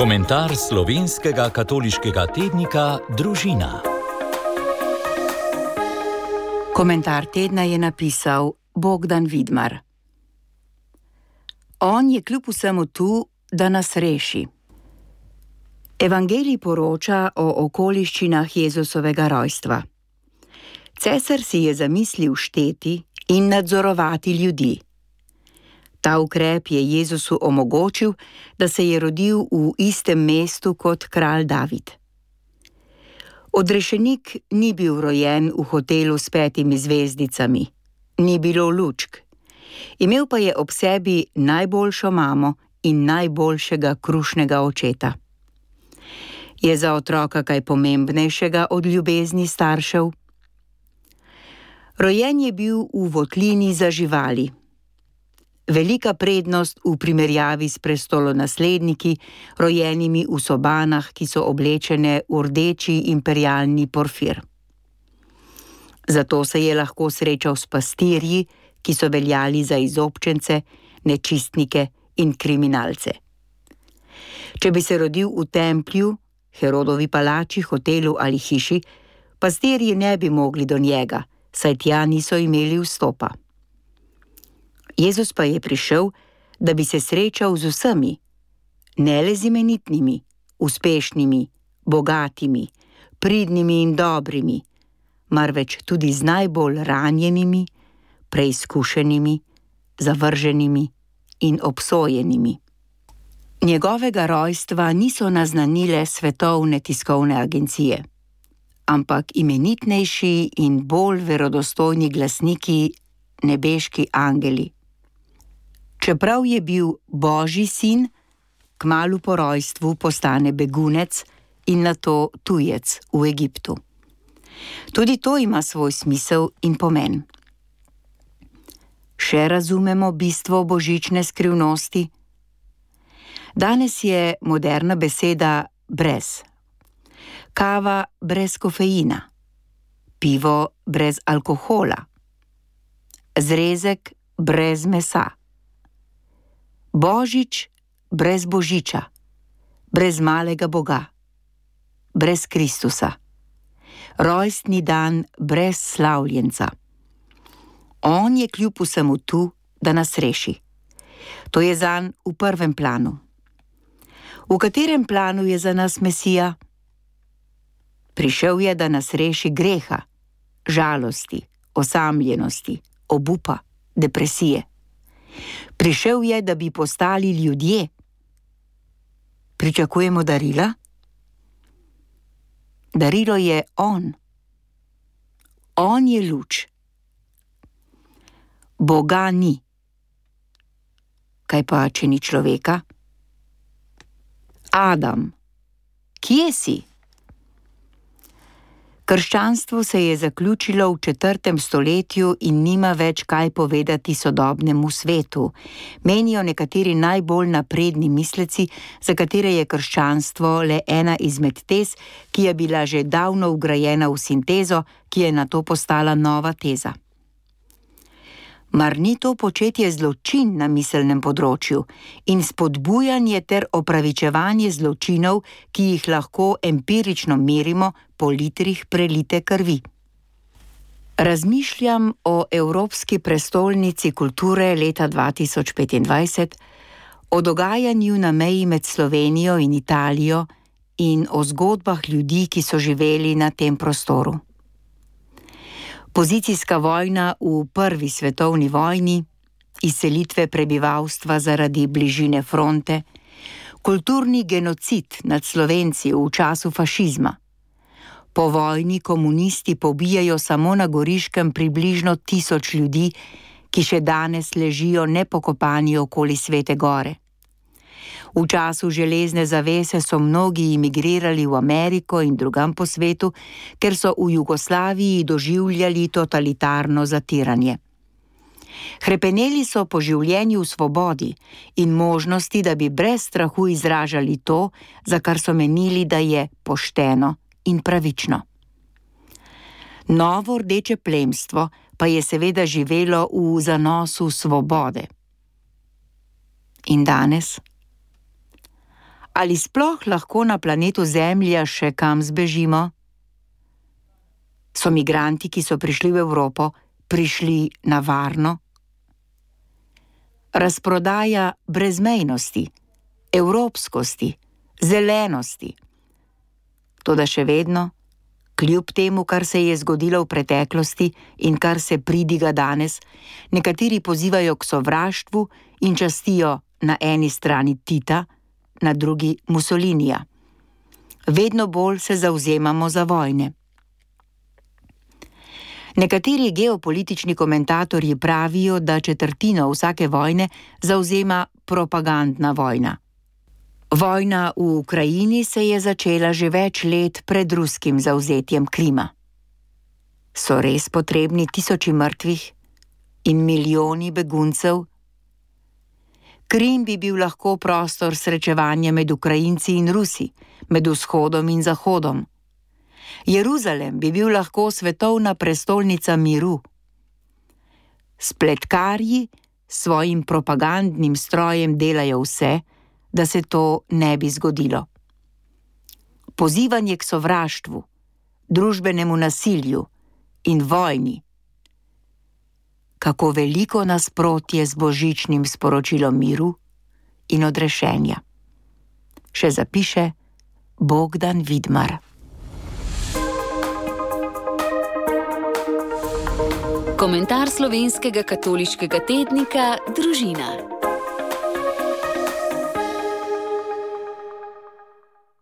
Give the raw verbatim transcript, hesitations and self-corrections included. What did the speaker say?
Komentar slovenskega katoliškega tednika Družina. Komentar tedna je napisal Bogdan Vidmar. On je kljub vsemu tu, da nas reši. Evangelij poroča o okoliščinah Jezusovega rojstva. Cesar si je zamislil šteti in nadzorovati ljudi. Ta ukrep je Jezusu omogočil, da se je rodil v istem mestu kot kralj David. Odrešenik ni bil rojen v hotelu s petimi zvezdicami, ni bilo lučk. Imel pa je ob sebi najboljšo mamo in najboljšega krušnega očeta. Je za otroka kaj pomembnejšega od ljubezni staršev? Rojen je bil v votlini za živali. Velika prednost v primerjavi s prestolonasledniki, rojenimi v sobanah, ki so oblečene v rdeči imperialni porfir. Zato se je lahko srečal s pastirji, ki so veljali za izobčence, nečistnike in kriminalce. Če bi se rodil v templju, Herodovi palači, hotelu ali hiši, pastirji ne bi mogli do njega, saj tja niso imeli vstopa. Jezus pa je prišel, da bi se srečal z vsemi, ne le z imenitnimi, uspešnimi, bogatimi, pridnimi in dobrimi, marveč tudi z najbolj ranjenimi, preizkušenimi, zavrženimi in obsojenimi. Njegovega rojstva niso naznanile svetovne tiskovne agencije, ampak imenitnejši in bolj verodostojni glasniki, nebeški angeli. Čeprav je bil Božji sin, kmalu po rojstvu postane begunec in nato tujec v Egiptu. Tudi to ima svoj smisel in pomen. Še razumemo bistvo božične skrivnosti? Danes je moderna beseda brez. Kava brez kofeina, pivo brez alkohola, zrezek brez mesa. Božič brez božiča, brez malega Boga, brez Kristusa. Rojstni dan brez slavljenca. On je kljub vsemu tu, da nas reši. To je zanj v prvem planu. V katerem planu je za nas Mesija? Prišel je, da nas reši greha, žalosti, osamljenosti, obupa, depresije. Prišel je, da bi postali ljudje. Pričakujemo darila? Darilo je on. On je luč. Boga ni. Kaj pa, če ni človeka? Adam, kje si? Krščanstvo se je zaključilo v četrtem stoletju in nima več kaj povedati sodobnemu svetu, menijo nekateri najbolj napredni misleci, za katere je krščanstvo le ena izmed tez, ki je bila že davno vgrajena v sintezo, ki je nato postala nova teza. Mar ni to početje zločin na miselnem področju in spodbujanje ter opravičevanje zločinov, ki jih lahko empirično merimo po litrih prelite krvi? Razmišljam o Evropski prestolnici kulture leta dva tisoč petindvajset, o dogajanju na meji med Slovenijo in Italijo in o zgodbah ljudi, ki so živeli na tem prostoru. Pozicijska vojna v prvi svetovni vojni, izselitve prebivalstva zaradi bližine fronte, kulturni genocid nad Slovenci v času fašizma. Po vojni komunisti pobijajo samo na Goriškem približno tisoč ljudi, ki še danes ležijo nepokopani okoli Svete Gore. V času železne zavese so mnogi imigrirali v Ameriko in drugam po svetu, ker so v Jugoslaviji doživljali totalitarno zatiranje. Hrepeneli so po življenju v svobodi in možnosti, da bi brez strahu izražali to, za kar so menili, da je pošteno in pravično. Novo rdeče plemstvo pa je seveda živelo v zanosu svobode. In danes? Ali sploh lahko na planetu Zemlja še kam zbežimo? So migranti, ki so prišli v Evropo, prišli na varno? Razprodaja brezmejnosti, evropskosti, zelenosti. Toda še vedno, kljub temu, kar se je zgodilo v preteklosti in kar se pridiga danes, nekateri pozivajo k sovraštvu in častijo na eni strani Tita, na drugi Mussolinija. Vedno bolj se zavzemamo za vojne. Nekateri geopolitični komentatorji pravijo, da četrtino vsake vojne zavzema propagandna vojna. Vojna v Ukrajini se je začela že več let pred ruskim zavzetjem Krima. So res potrebni tisoči mrtvih in milijoni beguncev? Krim bi bil lahko prostor srečevanja med Ukrajinci in Rusi, med vzhodom in zahodom. Jeruzalem bi bil lahko svetovna prestolnica miru. Spletkarji s svojim propagandnim strojem delajo vse, da se to ne bi zgodilo. Pozivanje k sovraštvu, družbenemu nasilju in vojni. Kako veliko nasprotje z božičnim sporočilom miru in odrešenja. Še zapiše Bogdan Vidmar. Komentar slovenskega katoliškega tednika Družina.